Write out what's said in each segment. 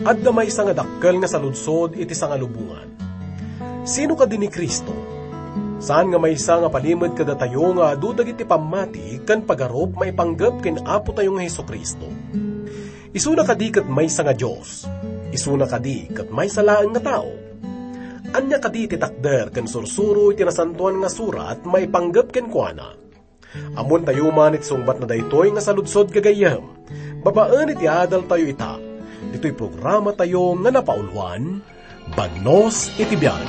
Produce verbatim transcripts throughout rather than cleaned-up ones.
Adda maysa nga dakkel nga saludsod iti sangalubongan. Sino kadi ni Cristo? Saan nga maysa nga palimed kadatayo nga adu dagiti pammati ken pagarup maipanggep ken Apotayo nga Jesu-Cristo? Isuna kadi ket maysa nga Dios? Isuna kadi ket maysa laeng nga tao? Ania kadi ti takder ken sursuro iti Nasantoan nga Surat maipanggep kenkuana? Ammoentayo man iti sungbat na daytoy nga saludsod, gagayyem, babaen iti adaltayo ita, ditoy programatayo nga napauluan, Bagnos iti Biag.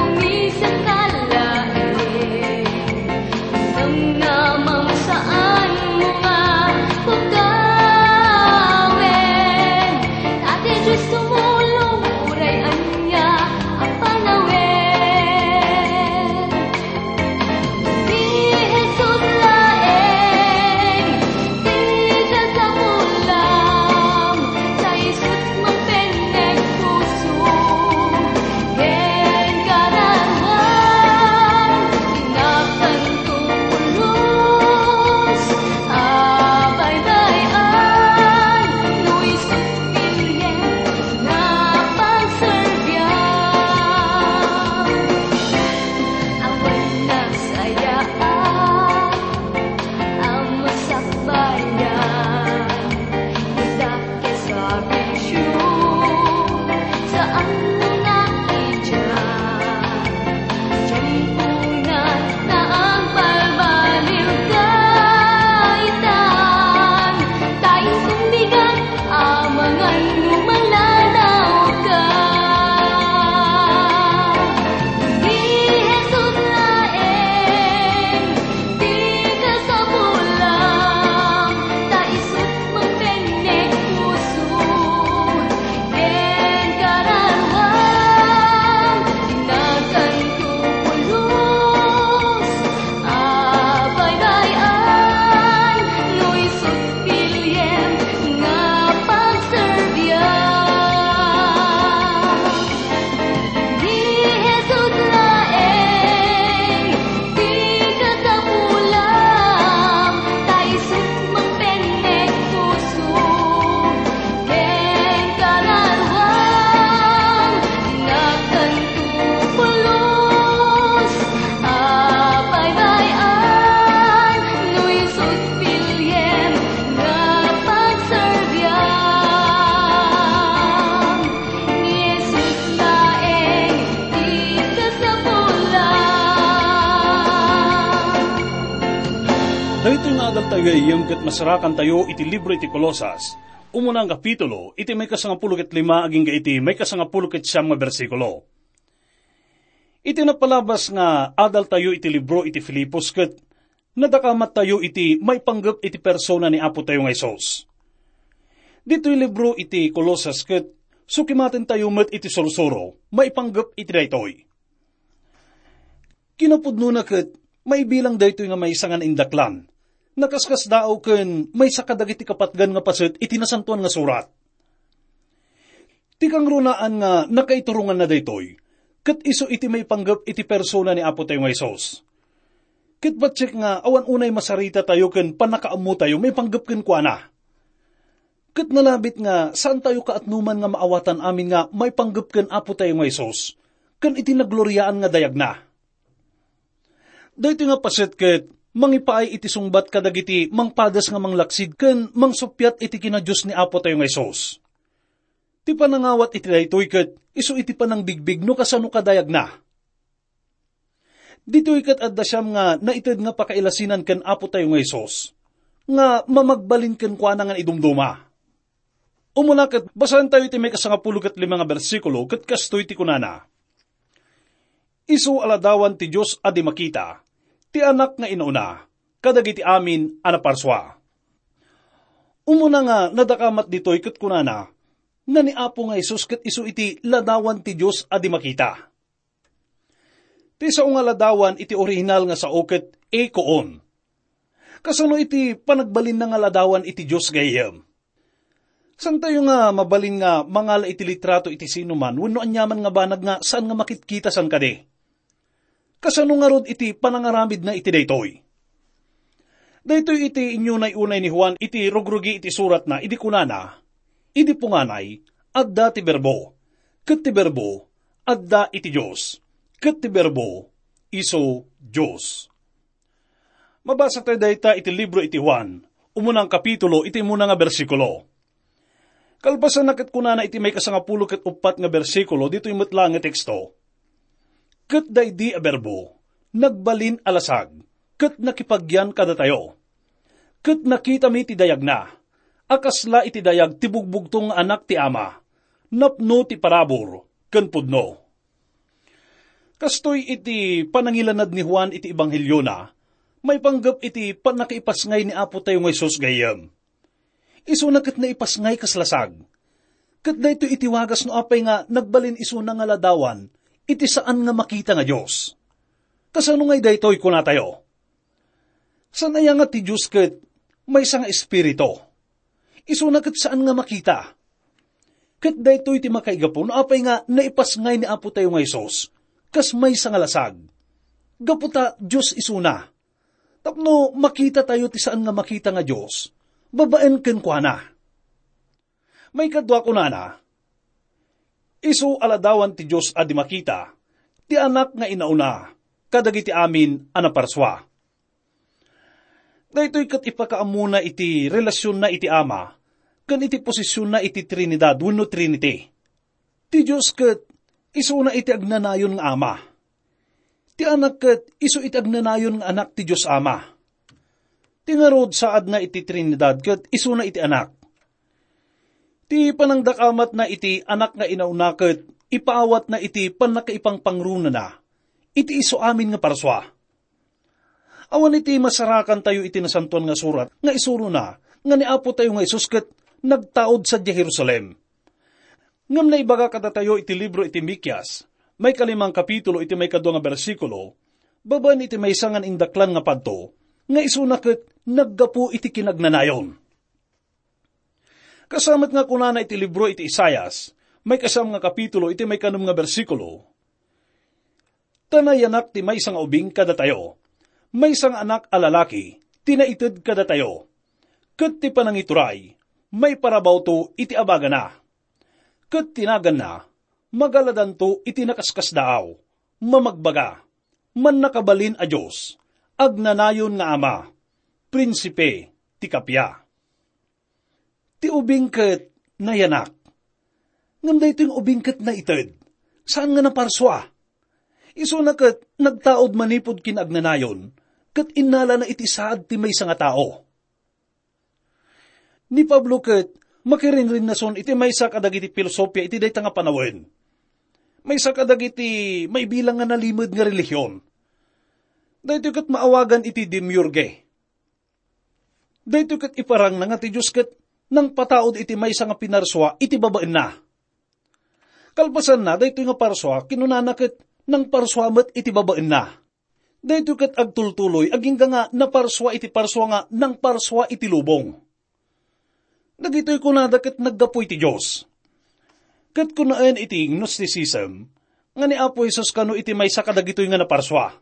Umisan ka laeng, namnamam saan mo nga pagawin. Ate Diyos, tumulong, uray ania a panawin. Ni Jesus laeng, ti kasapulam, sa isut mapenneg puso. Ken kararuan, inakanto pulos a baybay-an, no isut bilien nga pagserbian. Awan nasayaat a masakbayan, ita Sabicio, saan mo na idiay? Diyan ko na agbalbaliw kaitan, ta insundigan a mangan no malanaw ka. Ni Jesus laeng, ti kasapulam, ta isut mapenneg puso, ken kararuan, inakanto pulos a baybay-an, no isut bilien nga pagserbian. Ni Jesus laeng, ti kasapulam, ta isut mapenneg puso, ken kararuan, inakanto pulos a baybay-an, no isut bilien nga pagserbian. Ni Jesus laeng ti kasapulan. Daytoy nga adaltayo, gayyem, ket masarakantayo iti libro iti Colosas, umuna nga kapitulo, iti maikasangapulo ket lima agingga iti maikasangapulo ket siam nga bersikulo. Iti napalabas nga adaltayo iti libro iti Filipos ket nadakamattayo iti maipanggep iti persona ni Apotayo nga Jesus. Ditoy libro iti Colosas ket sukimatentayo met iti sursuro maipanggep iti daytoy. Kinapudnona ket maibilang daytoy nga maysa nga naindaklan, nakaskasdaaw ken maysa kadagiti kapatgan nga paset iti Nasantoan nga Surat. Ti kangrunaan nga nakaituronganna daytoy, ket isu iti maipanggep iti persona ni Apotayo nga Jesus. Ket patiek nga awan unay masaritatayo ken pannakaammotayo maipanggep kenkuana. Ket nalabit nga saantayo kaatnoman nga maawatan amin nga maipanggep ken Apotayo nga Jesus, ken iti nagloriaan nga dayagna. Daytoy nga paset ket mangipaay iti sungbat kadagiti mangpadas nga manglaksid ken mangsuppiat iti kinadios ni Apotayo nga Jesus. Ti panangawat iti daytoy ket isu iti panangbigbig no kasano kadayagna. Ditoy ket adda siam nga naited nga pakailasinan ken Apotayo nga Jesus, nga mamagbalin kenkuana nga idumduma. Umuna ket basaentayo iti maikasangapulo ket lima nga bersikulo ket kastoy ti kunana, "Isu a ladawan ti Dios a di makita, ti Anak nga inauna kadagiti amin a naparsua." Umuna nga nadakamat ditoy ket kunana, nga ni Apo nga Jesus ket isu iti ladawan ti Dios a di makita. Ti sao nga ladawan iti orihinal nga sao ket eikon. Kasano iti panagbalinna nga ladawan iti Dios gayyem? Saantayo nga mabalin nga mangala iti litrato iti sinuman wenno aniaman nga banag nga saan nga makitkita san kadi. Kasano ngarud iti panangaramidna iti daytoy? Daytoy iti inyunay-unay ni Juan iti rugrugi iti suratna idi kunana, "Idi punganay, adda ti Berbo, ket ti Berbo adda iti Dios, ket ti Berbo isu Dios." Mabasa tayo dayta iti libro iti Juan, umuna nga kapitulo, iti umuna nga bersikulo. Kalpasanna ket kunana iti maikasangapulo ket uppat nga bersikulo ditoy met laeng nga teksto, "Ket daydi a Berbo, nagbalin a lasag, ket nakipagyan kadatayo. Ket nakitami ti dayagna, a kasla iti dayag ti bugbugtong nga Anak ti Ama, napno ti parabur ken pudno." Kastoy iti panangilanad ni Juan iti ebangheliona, maipanggep iti pannakaipasngay ni Apo tayo nga Jesus gayyem. Isuna ket naipasngay kas lasag. Ket daytoy iti wagas no apay nga nagbalin isuna nga ladawan iti saan nga makita nga Dios. Kasano ngay daytoy, kunatayo? Saan aya nga ti Dios ket maysa nga Espiritu? Isuna ket saan nga makita. Ket daytoy ti makaigapu no apay nga naipasngay ni Apo tayo nga Jesus kas maysa nga lasag. Gapu ta Dios isuna. Tapno makita tayo ti saan nga makita nga Dios, babaen kenkuana. Maikadua, kunana, "Isu a ladawan ti Dios a di makita, ti Anak nga inauna kadagiti amin a naparsua." Daytoy ket ipakaammona iti relasionna iti Ama ken iti posisionna iti Trinidad wenno Trinity. Ti Dios ket isuna iti agnanayon nga Ama. Ti Anak ket isu iti agnanayon nga Anak ti Dios Ama. Ti ngarud, saadna iti Trinidad ket isuna iti Anak. Ti panangdakamatna iti Anak nga inauna ket ipaawatna iti pannakaipangpangrunana iti isu amin nga parsua. Awan iti masarakantayo iti Nasantoan nga Surat nga isurona nga ni Apo tayo nga Jesus ket nagtaud sadiay Jerusalem. Ngem naibaga kadatayo iti libro iti Mikias, maikalimang kapitulo iti maikadua nga bersikulo, babaen iti maysa nga naindaklan nga padto, nga isuna ket naggapu iti kinagnanayon. Kasamet nga kunana iti libro iti Isaias, maikasam nga kapitulo iti maikanem nga bersikulo, "Ta nayanak ti maysa nga ubing kadatayo, maysa nga anak a lalaki ti naited kadatayo, ket ti panangituray, maiparabawto iti abagana. Ket ti naganna, magaladanto iti nakaskasdaaw, mamagbaga, Mannakabalin a Dios, Agnanayon nga Ama, Prinsipe ti Kappia." Ti ubing ket nayanak. Ngem daytoy nga ubing ket naited, saan nga naparsua. Isuna ket nagtaud manipud kin-agnanayon, ket innalana iti saad ti maysa nga tao. Ni Pablo ket makirinrinnason iti maysa kadagiti filosofia iti dayta nga panawen. Maysa kadagiti maibilang nga nalimed nga relihion. Daytoy ket maawagan iti demiurge. Daytoy ket iparangna nga ti Dios ket nangpataud iti maysa nga pinarsua iti babaenna. Kalpasanna, daytoy nga parsua, kinunana ket nangparsua met iti babaenna. Daytoy ket agtultuloy agingga nga naparsua iti parsua nga nangparsua iti lubong. Dagitoy kunada ket naggapu iti Dios. Ket kunaen iti Gnosticism nga ni Apo Jesus kano iti maysa kadagitoy nga naparsua.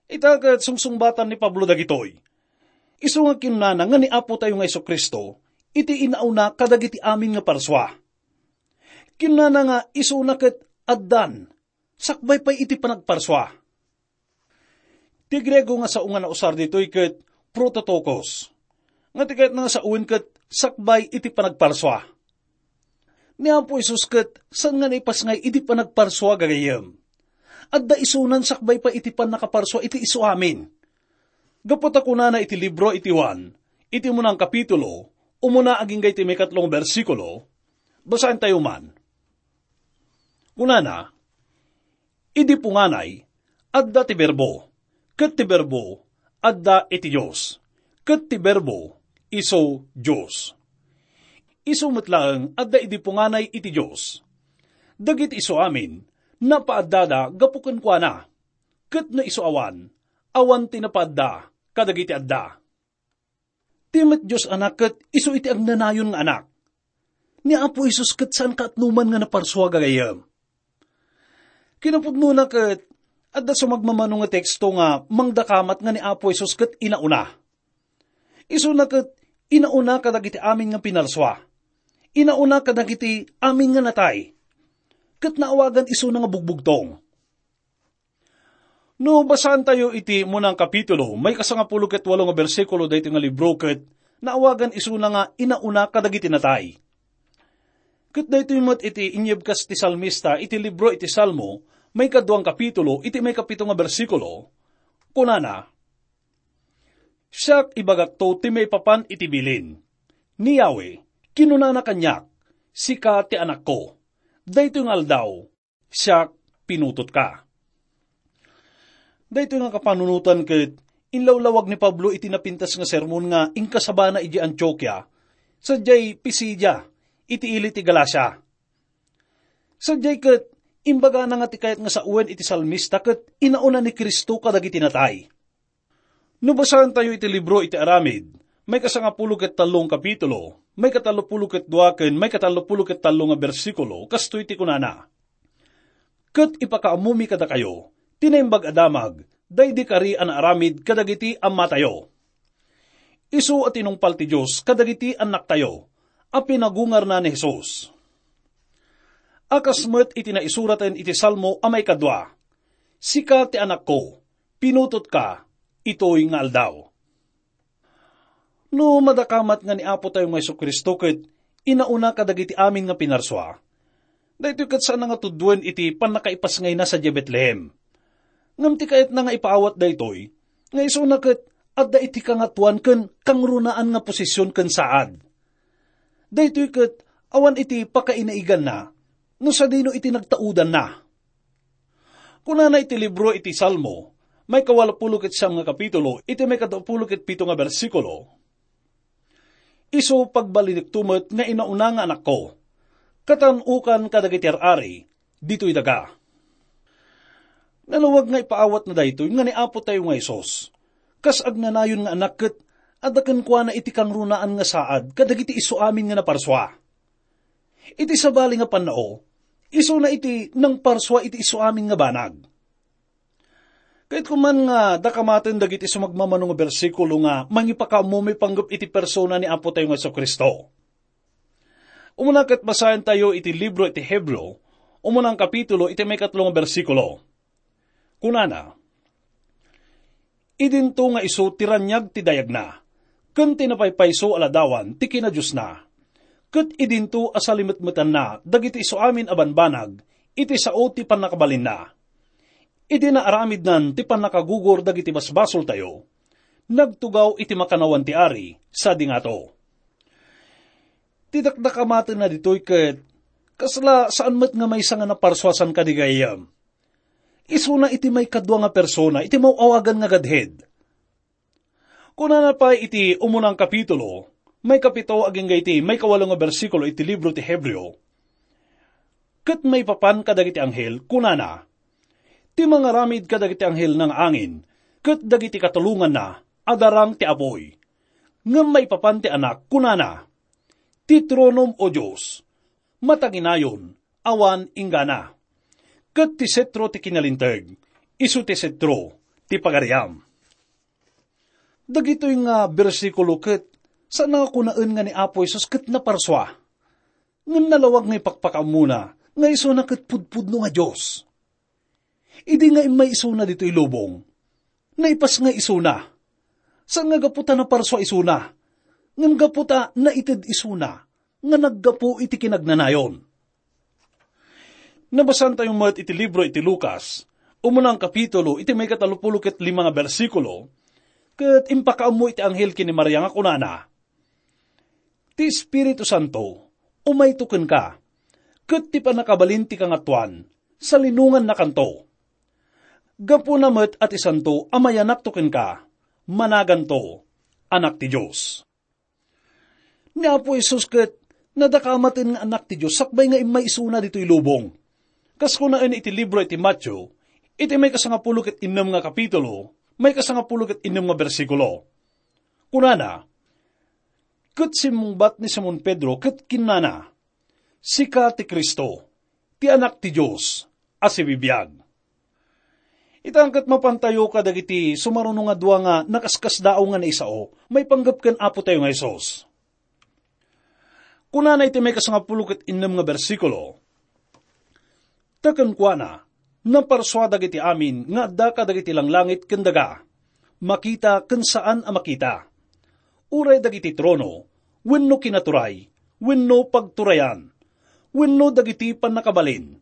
Ita ket sungsungbatan ni Pablo dagitoy. Isu nga kinunana nga ni Apo tayo nga Jesu-Cristo iti inauna kadagiti amin nga parsua. Kinunana nga isuna ket addan, sakbay pay iti panagparsua. Ti Griego nga sao nga nausar ditoy ket prototokos, nga ti kayatna nga saoen ket sakbay iti panagparsua. Ni Apo Jesus ket saan nga naipasngay iti panagparsua gagayyem. Adda isunan sakbay pay iti pannakaparsua iti isu amin. Gapu ta kunana iti libro iti Juan, iti umuna nga kapitulo, umuna agingga iti maikatlo nga bersikulo, basaentayo man. Kunana, "Idi punganay, adda ti Berbo, ket ti Berbo adda iti Dios, ket ti Berbo isu Dios." Isu met laeng adda idi punganay iti Dios. Dagiti isu amin, napaaddada gapu kenkuana, ket no isu awan, awan ti napaadda kadagiti adda. Ti met Dios Anak ket isu iti agnanayon nga Anak. Ni Apo Jesus ket saan kaatnoman nga naparsua, gagayyem. Kinapudnona ket, adda sumagmamano nga teksto nga mangdakamat nga ni Apo Jesus ket inauna. Isuna ket inauna kadagiti amin nga pinarsua. Inauna kadagiti amin nga natay. Ket naawagan isuna nga bugbugtong. No basaantayo iti munang kapitulo, may kasangapulo ket walo nga bersikulo daytoy nga libro ket naawagan isuna nga inauna kadagiti natay. Ket daytoy met iti inyebkas ti salmista iti libro iti Salmo, may kaduang kapitulo, iti may kapito nga bersikulo, kunana, "Siak ibagakto ti maipapan iti bilin. Ni Yahweh, kinunana kaniak, 'Sika ti anakko. Daytoy nga aldaw, siak pinutotka.'" Daytoy nga kapanunotan ket inlawlawag ni Pablo iti napintas nga sermon nga inkasabana idiay Antiokia, sadiay Pisidia, iti ili ti Galacia. Sadiay ket imbagana nga ti kayat nga sawen iti salmista ket inauna ni Cristo kadagiti natay. No basaantayo iti libro iti Aramid, may kasangapulo ket tallo nga kapitulo, may katallopulo ket dua ken may katallopulo ket tallo nga bersikulo, kastoy ti kunana, "Ket ipakaammomi kadakayo ti Naimbag a Damag, daydi kari a naaramid kadagiti ammatayo. Isu a tinungpal ti Dios kadagiti annaktayo a pinagungarna ni Jesus." A kas met iti naisuraten iti Salmo a maikadua, "Sika ti anakko, pinutotka itoy nga aldaw." No madakamat nga ni Apo tayo nga Jesu-Cristo ket inauna kadagiti amin nga pinarsua, daytoy ket saan nga tuduen iti pannakaipasngayna sadiay Betlehem. Ngem ti kayatna nga ipaawat daytoy, nga isuna ket adda iti kangatoan ken kangrunaan nga posisyon ken saad. Daytoy ket awan iti pakainaiganna no sadino iti nagtaudanna. Kunana iti libro iti Salmo, may kawalopulo ket siam nga kapitulo, iti may kaduapulo ket pito nga bersikulo, "Isu pagbalinekto met nga inauna nga anakko, katan-okan kadagiti ar-ari ditoy daga." Nalawag nga ipaawatna daytoy nga ni Apo tayo nga Jesus, kas agnanayon nga anak ket adda kenkuana iti kangrunaan nga saad kadagiti isu amin nga naparsua. Iti sabali nga pannao, isuna iti nangparsua iti isu amin nga banag. Kayatko man nga dakamaten dagiti sumagmamano nga bersikulo nga mangipakaammo maipanggep iti persona ni Apo tayo nga Jesu-Cristo. Umuna ket basaentayo iti libro iti Hebreo, umunang kapitulo, iti maikatlo nga bersikulo. Kunana, "Idinto nga isu ti raniag ti dayagna, ken ti napaypayso a ladawan ti kinadiosna. Ket idinto a salimetmetanna dagiti isu amin a banbanag iti sao ti pannakabalinna. Idi naaramidnan ti pannakagugor dagiti basbasoltayo, nagtugaw iti makannawan ti ari sadi ngato." Ti dakdakamatenna ditoy ket kasla saan met nga maysa nga naparsuasan kadi gayyem. Isuna iti maikadua nga persona iti maw-awagan nga Godhead. Kunana pay iti umunang kapitulo, maikapito agingga iti maikawalo nga bersikulo iti libro ti Hebreo, "Ket maipapan kadagiti anghel, kunana, ti mangaramid kadagiti anghel nga angin, ket dagiti katulonganna a darang ti apuy. Ngem maipapan ti Anak, kunana, 'Ti tronom, O Dios, mataginayon, awan inggana. Ket ti setro ti kinalinteg, isu ti setro ti pagariam.'" Dagitoy nga bersikulo ket saan nga kunaen nga ni Apo Jesus ket naparsua. Ngem nalawag nga ipakpakaammona nga isuna ket pudpudno nga Dios. Idi nga immay isuna ditoy lubong, naipas nga isuna. Saan nga gapu ta naparsua isuna, ngem gapu ta naited isuna nga naggapu iti kinagnanayon. Nabasantayo met iti libro iti Lucas, umunang kapitulo, iti maikatalupulo ket lima nga bersikulo, ket impakaammo iti anghel ken ni Maria nga kunana, "Ti Espiritu Santo umayto kenka, ket ti pannakabalin ti Kangatoan salinongannakanto. Gapuna met a ti santo a mayanakto kenka, managanto Anak ti Dios." Ni Apo Jesus ket nadakamaten nga Anak ti Dios sakbay nga immay isuna ditoy lubong. Kas kunaen iti libro iti Mateo, iti maikasangapulo ket innem nga kapitulo, maikasangapulo ket innem nga bersikulo. Kunana, "Ket simmungbat ni Simon Pedro ket kinnana, Sika ti Cristo, ti Anak ti Dios a sibibiag. Ita ket mapantayo kadagiti sumaruno nga dua nga nakaskasdaaw nga naisao maipanggep ken Apo tayo nga Jesus. Kunana iti maikasangapulo ket innem nga bersikulo, "Ta kenkuana, naparsua dagiti amin nga adda kadagiti langlangit ken daga, makita ken saan a makita. Uray dagiti trono, wenno kinaturay, wenno pagturayan, wenno dagiti pannakabalin.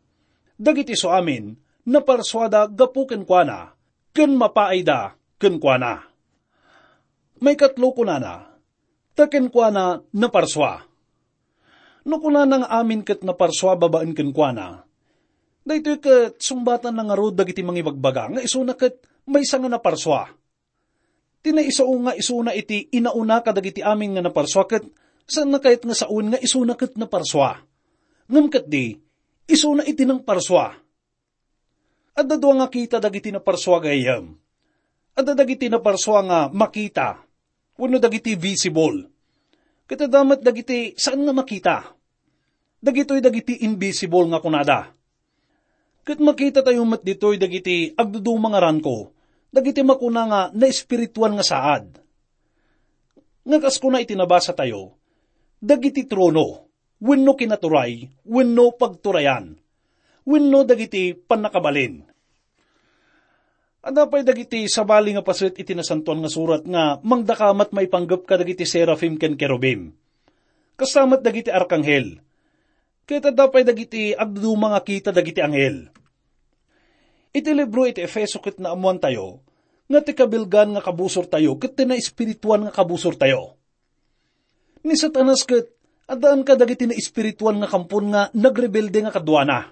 Dagiti isu amin, naparsuada gapu kenkuana, ken mapaayda kenkuana." Maikatlo kunana, "Ta kenkuana naparsua." No kunana nga amin ket naparsua babaen kenkuana, daytoy ket sungbatanna ngarud dagiti mangibagbaga nga isuna ket maysa nga naparsua. Ti naisao nga isuna iti inauna kadagiti amin nga naparsua ket saanna kayat nga sawen nga isuna ket naparsua. Ngem ketdi, isuna iti nangparsua. Adda dua nga kita dagiti naparsua, gayyem. Adda dagiti naparsua nga makita, wenno dagiti visible. Ket adda met dagiti saan nga makita. Dagitoy dagiti invisible nga kunada. Ket makitatayo met ditoy dagiti agduduma nga ranko, dagiti makuna nga naespirituan nga saad. Nga kas kuna iti nabasatayo, dagiti trono, wenno kinaturay, wenno pagturayan, wenno dagiti pannakabalin. Adda pay dagiti sabali nga paset iti Nasantoan nga Surat nga mangdakamat maipanggep kadagiti serafim ken kerubim. Kasta met dagiti arkanghel. Ket adda pay dagiti agduduma nga kita dagiti anghel. Iti libro iti Efeso ket naammoantayo nga ti kabilgan nga kabusortayo ket ti naespirituan nga kabusortayo. Ni Satanas ket addaan kadagiti naespirituan nga kampon nga nagrebelde nga kaduana.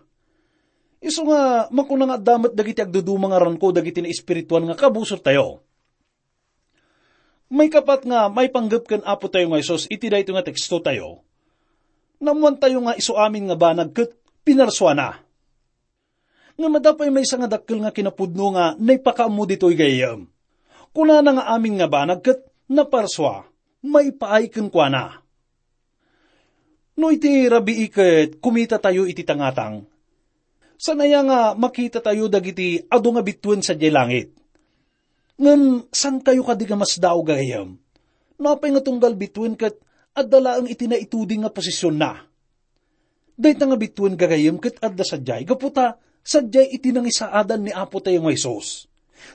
Isu nga makuna nga adda met dagiti agduduma nga ranko dagiti naespirituan nga kabusortayo. Maikapat nga maipanggep ken Apo tayo nga Jesus iti daytoy nga teksto tayo, naammoantayo nga isu amin nga banag ket pinarsuana. Ngem adda pay maysa nga dakkel nga kinapudno nga naipakaammo ditoy gayyem. Kunana nga amin nga banag ket naparsua, maipaay kenkuana. No iti rabii ket kumitatayo iti tangatang, saan aya nga makitatayo dagiti adu nga bituen sadiay langit? Ngem saantayo kadi nga masdaaw gagayyem? No apay nga tunggal bituen ket adda laeng iti naituding nga posisionna? Dayta nga bituen gagayyem ket adda sadiay, gapu ta sadiay iti nangisaadan ni Apo tayo nga Jesus.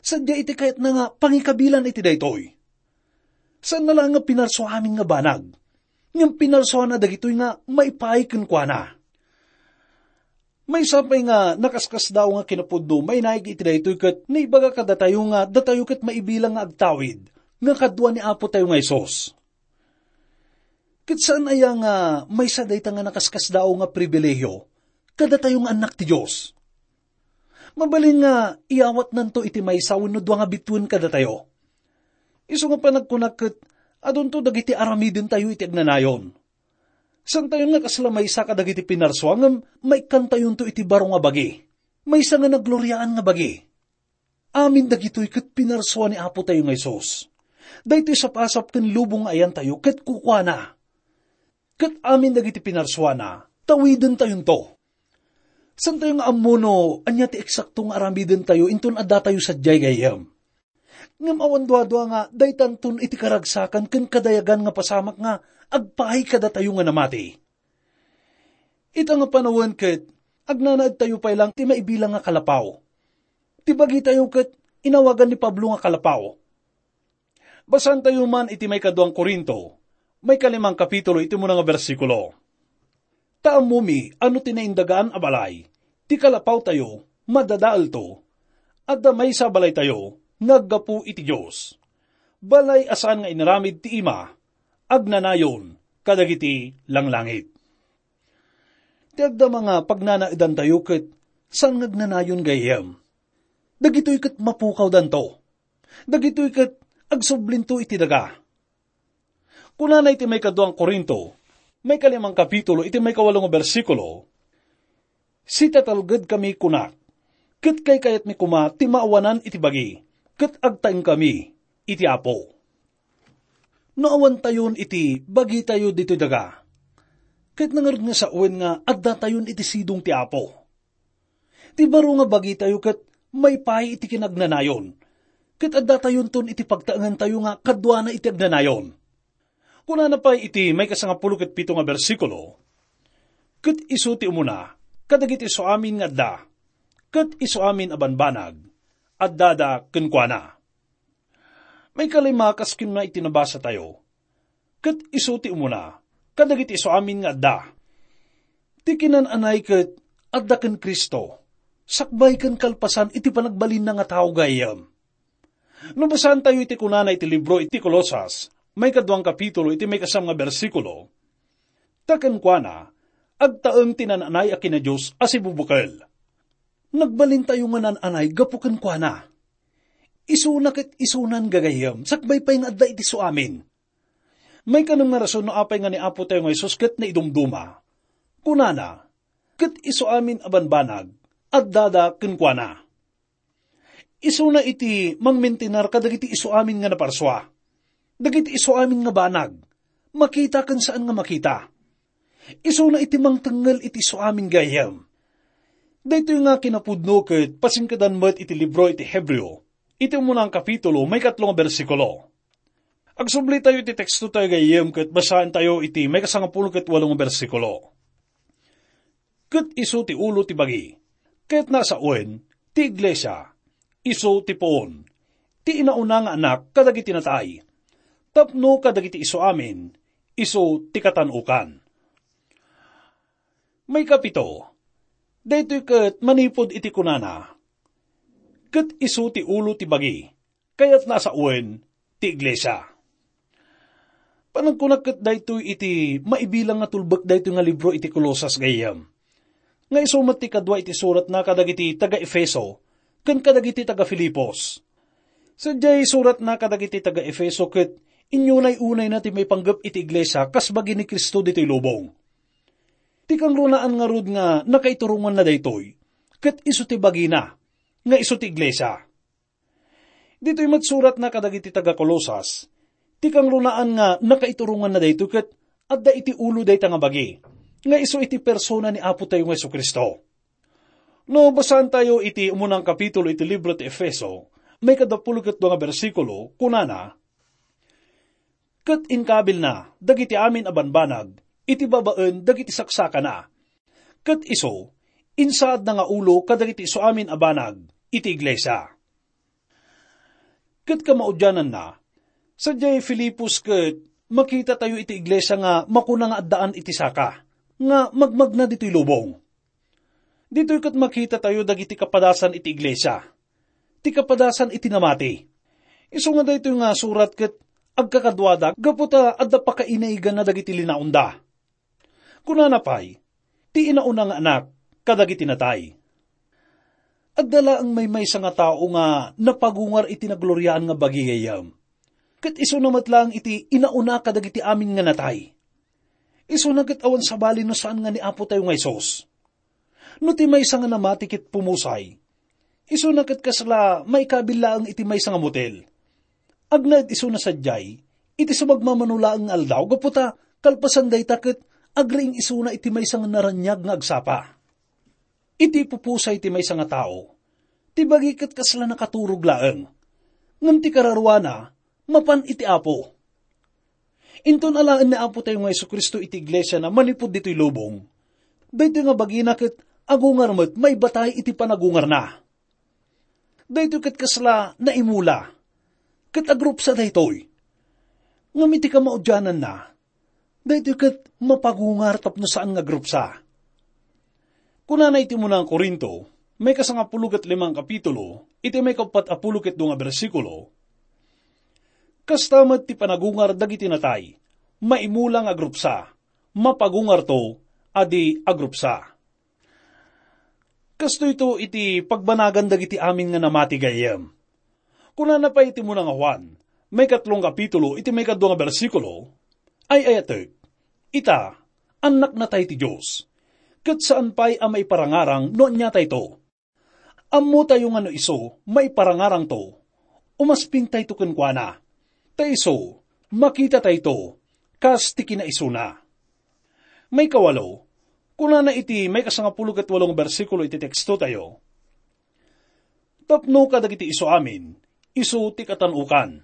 Sadiay iti kayatna nga pangikabilan iti daytoy. Saanna laeng nga pinarsuamin nga banag, ngem pinarsuana dagitoy nga maipaay kenkuana. Maysa pay nga nakaskasdaaw nga kinapudno mainaig iti daytoy ket naibaga kadatayo nga datayo ket maibilang nga agtawid nga kadua ni Apo tayo nga Jesus. Ket saan aya nga maysa dayta nga nakaskasdaaw nga pribilehiyo kadatayo nga annak ti Dios? Mabalin nga iyawatnanto iti maysa wenno dua nga bituen kadatayo. Isu nga panagkunak ket adunto dagiti aramidentayo iti agnanayon. Saantayon nga kasla maysa kadagiti pinarsua ngem maikkantayonto iti baro nga bagi, maysa nga nagloriaan nga bagi. Amin dagitoy ket pinarsua ni Apo tayo nga Jesus. Daytoy sapasap ken lubong nga ayantayo ket kukuana. Ket amin dagiti pinarsuana, tawidentayonto. Saantayo nga ammo no ania ti eksakto nga aramidentayo inton addatayo sadiay gayyem. Ngem awan duadua nga daytanton iti karagsakan ken kadayagan nga pasamak nga agpaay kadatayo nga namati. Ita nga panawen ket agnanaedtayo pay lang ti maibilang nga kalapaw. Ti bagitayo ket inawagan ni Pablo nga kalapaw. Basaantayo man iti maikaduang Corinto, maikalimang kapitulo iti umuna nga bersikulo. Ta ammomi a no ti naindagaan a balay, ti kalapawtayo, madadaelto, adda maysa a balaytayo nga aggapu iti Dios. Balay a saan nga inaramid ti ima, agnanayon kadagiti langlangit. Ti agdama nga pagnanaedantayo ket saan nga agnanayon gayyem. Dagitoy ket mapukawdanto. Dagitoy ket agsublinto iti daga. Kunana iti maikaduang Corinto, maikalimang kapitulo, iti maikawalo nga bersikulo, "Sitatalgedkami," kunak, "ket kaykayatmi koma ti maawanan iti bagi, ket agtaengkami iti Apo." No awantayon iti bagitayo ditoy daga, Ket nangarud nga sawen nga addatayon iti sidong ti Apo. Ti baro nga bagitayo ket maipaay iti kinagnanayon, ket addatayonton iti pagtaengantayo nga kaduana iti agnanayon. Kunana pay iti maikasangapulo ket pito nga bersikulo, "Ket isu ti umuna kadagiti isu amin nga adda, ket isu amin a banbanag, addada kenkuana." Maikalima, kas kinuna iti nabasatayo, "Ket isu ti umuna kadagiti isu amin nga adda." Ti kinan-anay ket adda ken Cristo, sakbay ken kalpasan iti panagbalinna nga tao, gayyem. No basaantayo iti kunana iti libro iti Colosas, maikaduang kapitulo, iti maikasam nga bersikulo, "Ta kenkuana, agtaeng ti nan-anay a kina-Dios a sibubukel." Nagbalintayo nga nan-anay gapu kenkuana. Isuna ket isunan, gagayyem, sakbay pay nga adda iti isu amin. Maikanem nga rason no apay nga ni Apo tayo nga Jesus ket naidumduma. Kunana, "Ket isu amin a banbanag, addada kenkuana." Isuna iti mangmintinar kadagiti isu amin nga naparsua, dagiti isu amin nga banag, makita ken saan nga makita. Isuna iti mangtengngel iti isu amin, gayyem. Daytoy nga kinapudno ket pasingkedan met iti libro iti Hebreo, iti umuna nga kapitulo, maikatlo nga bersikulo. Agsubli tayo iti teksto tayo, gayyem, ket basaen tayo iti maikasangapulo ket walo nga bersikulo. "Ket isu ti ulo ti bagi, ket nasawen ti iglesia, isu ti puon, ti inauna nga anak kadagiti natay, tapno kadagiti isu amin, isu ti katan-okan." Maikapito, daytoy ket manipud iti kunana, "Ket isu ti ulo ti bagi, kayatna a sawen ti iglesia." Panagkunak ket daytoy iti maibilang nga tulbek daytoy nga libro iti Colosas, gayyem, nga isu met ti kadua iti suratna kadagiti taga-Efeso ken kadagiti taga-Filipos. Sadiay suratna kadagiti taga-Efeso ket inyunay-unayna ti maipanggep iti iglesia kas bagi ni Cristo ditoy lubong. Ti kangrunaan ngarud nga nakaituronganna daytoy, ket isu ti bagina, nga isu ti iglesia. Ditoy met suratna kadagiti taga-Colosas, ti kangrunaan nga nakaituronganna daytoy ket adda iti ulo dayta nga bagi, nga isu iti persona ni Apo tayo nga Jesu-Cristo. No basaantayo iti umunang kapitulo iti libro ti Efeso, maikadapulo ket dua nga bersikulo, kunana, "Ket inkabilna dagiti amin a banbanag iti babaen dagiti saksakana. Ket isu, insaadna nga ulo kadagiti isu amin a banag iti iglesia." Ket kamaudiananna, sadiay Filipos ket makitatayo iti iglesia nga makuna nga addaan iti saka nga magmagna ditoy lubong. Ditoy ket makitatayo dagiti kapadasan iti iglesia, ti kapadasan iti namati. Isu nga daytoy nga surat ket agkakaduada gapu ta adda pakainaigana dagiti linaonda. Kunana pay, "Ti inauna nga anak kadagiti natay." Adda laeng maymaysa nga tao nga napagungar iti nagloriaan nga bagi, gayyem. Ket isuna met laeng iti inauna kadagiti amin nga natay. Isuna ket awan sabali no saan nga ni Apo tayo nga Jesus. No ti maysa nga namati ket pumusay, isuna ket kasla maikabil laeng iti maysa nga mutil. Agnaed isuna sadiay iti sumagmamano laeng nga aldaw, gapu ta kalpasan dayta ket agriing isuna iti maysa nga naraniag nga agsapa. Iti pupusay ti maysa nga tao, ti bagi ket kasla nakaturog laeng, ngem ti kararuana mapan iti Apo. Inton alaen ni Apo tayo nga Jesu-Cristo iti iglesiana manipud ditoy lubong, daytoy nga bagina ket agungar met maibatay iti panagungarna. Daytoy ket kasla naimula, ket agrupsa daytoy. Ngem iti kamaudiananna, daytoy ket mapagungar tapno saan nga agrupsa. Kunana iti umuna nga Corinto, maikasangapulo ket lima nga kapitulo, iti maikapat a pulo ket dua nga bersikulo, "Kasta met ti panagungar dagiti natay, maimula nga agrupsa, mapagungarto a di agrupsa." Kastoyto iti pagbanagan dagiti amin nga namati, gayyem. Kunana pay iti umuna nga Juan, maikatlo nga kapitulo, iti maikadua nga bersikulo, "Ay-ayatek, ita, annaknatay ti Dios, ket saan pay a maiparangarang no aniatayto. Ammotayo nga no isu maiparangarangto, umaspingtayto kenkuana. Ta isu, makitatayto, kas ti kinaisuna." Maikawalo, kunana iti maikasangapulo ket walo nga bersikulo iti tekstotayo, "Tapno kadagiti isu amin, isu ti katan-okan."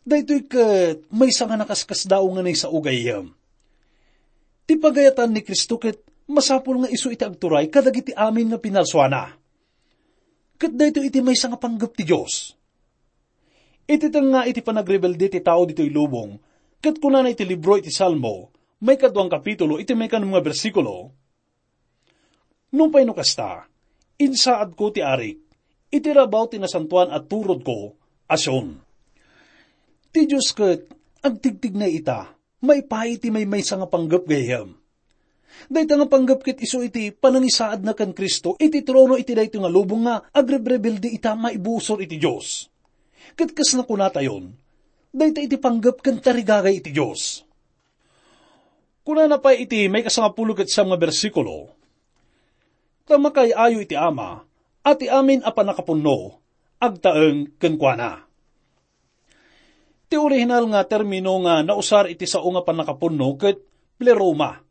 Daytoy ket maysa nga nakaskasdaaw nga naisao, gayyem. Ti pagayatan ni Cristo ket masapul nga isu iti agturay kadagiti amin nga pinarsuana. Ket daytoy iti maysa nga panggep ti Dios. Iti tengnga iti panagrebelde ti tao ditoy lubong, ket kunana iti libro iti Salmo, maikadua nga kapitulo, iti maikanem nga bersikulo, "Nupay no kasta, insaadko ti arik iti rabaw ti nasantoan a turodko a Sion." Ti Dios ket agtigtignay ita maipaay iti maymaysa nga panggep, gayyem. Dayta nga panggep ket isu iti panangisaadna ken Cristo iti trono iti daytoy nga lubong nga agrebrebelde ita maibusor iti Dios. Ket kas nakunatayon, dayta iti panggep ken tarigagay iti Dios. Kunana pay iti maikasangapulo ket siam nga bersikulo, "Ta makaay-ayo iti Ama a ti amin a pannakapunno agtaeng kenkuana." Ti orihinal nga termino nga nausar iti sao nga pannakapunno ket pleroma.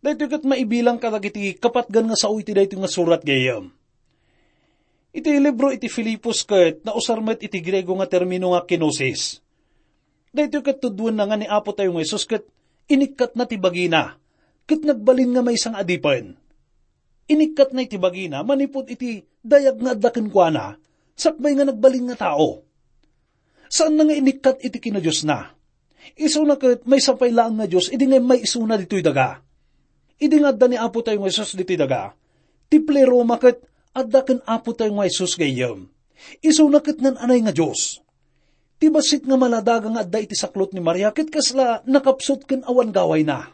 Daytoy ket maibilang kadagiti kapatgan nga sao iti daytoy nga surat, gayyem. Iti libro iti Filipos ket nausar met iti Griego nga termino nga kenosis. Daytoy ket tudtuenna nga ni Apo tayo nga Jesus ket inikkatna ti bagina ket nagbalin nga maysa nga adipen. Inikkatna iti bagina manipud iti dayag nga adda kenkuana sakbay nga nagbalin nga tao. Saanna nga inikkat iti kinadiosna. Isuna ket maysa pay laeng nga Dios idi nga immaysona ditoy daga. Idi nga adda ni Apo tayo nga Jesus ditoy daga, ti pleroma ket adda ken Apo tayo nga Jesus, gayyem. Isuna ket naan-anay nga Dios. Ti bassit nga maladaga nga adda iti saklot ni Maria ket kasla nakapsut ken awan gawayna.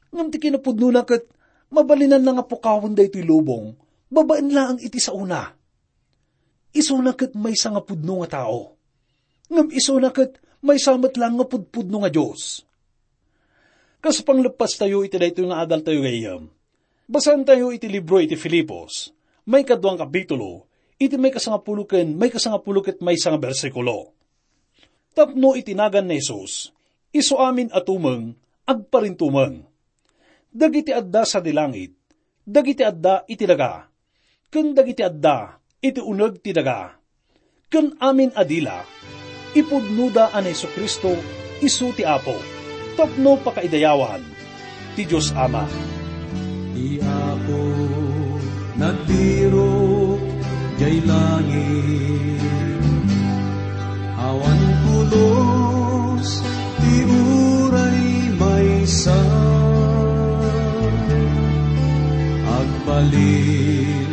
Ngem ti kinapudnona ket mabalinanna nga pukawen daytoy lubong babaen laeng iti saona. Isuna ket maysa nga pudno nga tao. Ngem isuna ket maysa met laeng nga pudpudno nga Dios. Kas pangleppastayo iti daytoy nga adaltayo, gayyem, basaentayo iti libro iti Filipos, maikadua nga kapitulo, iti maikasangapulo ken maikasangapulo ket maysa nga bersikulo. Tapno iti nagan ni Jesus, isu amin a tumeng, agparintumeng. Dagiti adda sadi langit, dagiti adda iti daga, ken dagiti adda iti uneg ti daga, ken amin a dila, ipudnoda a ni Jesu-Cristo isu ti Apo, tapno pakaidayawan ti Dios Ama. Ti Apo nagbirok jay langit, awan pulos ti uray maysa. Agbalin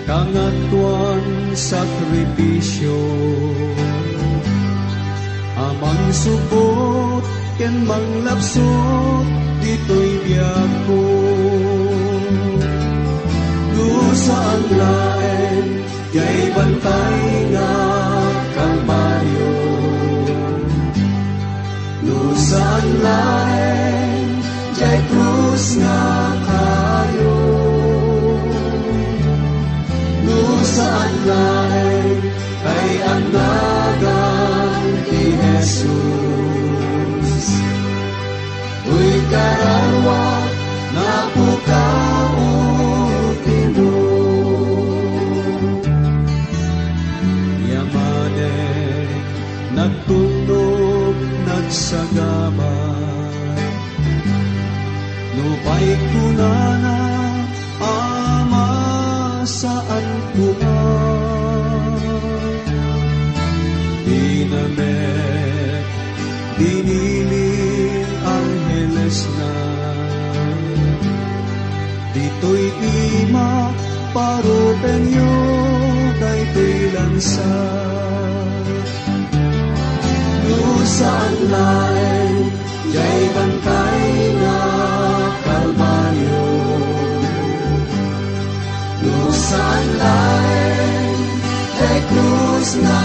kangatoan sakrifisio, a mangsupot ken manglapsot ditoy biagko. No saan laeng jay bantay nga Kalbario, no saan laeng jay krus nga kayo, no saan laeng tay annagan ti Jesus. Uy, kararua, napukaw ti mo. Yamanek, nagtulnog, nagsagaba. Nupay kunana, Ama, saan koma. Dinamek, binili anghelesna. Ditoy ima, parupenyo daytoy lansa. No saan laeng jay bantay nga Kalbario, no saan laeng jay krus nga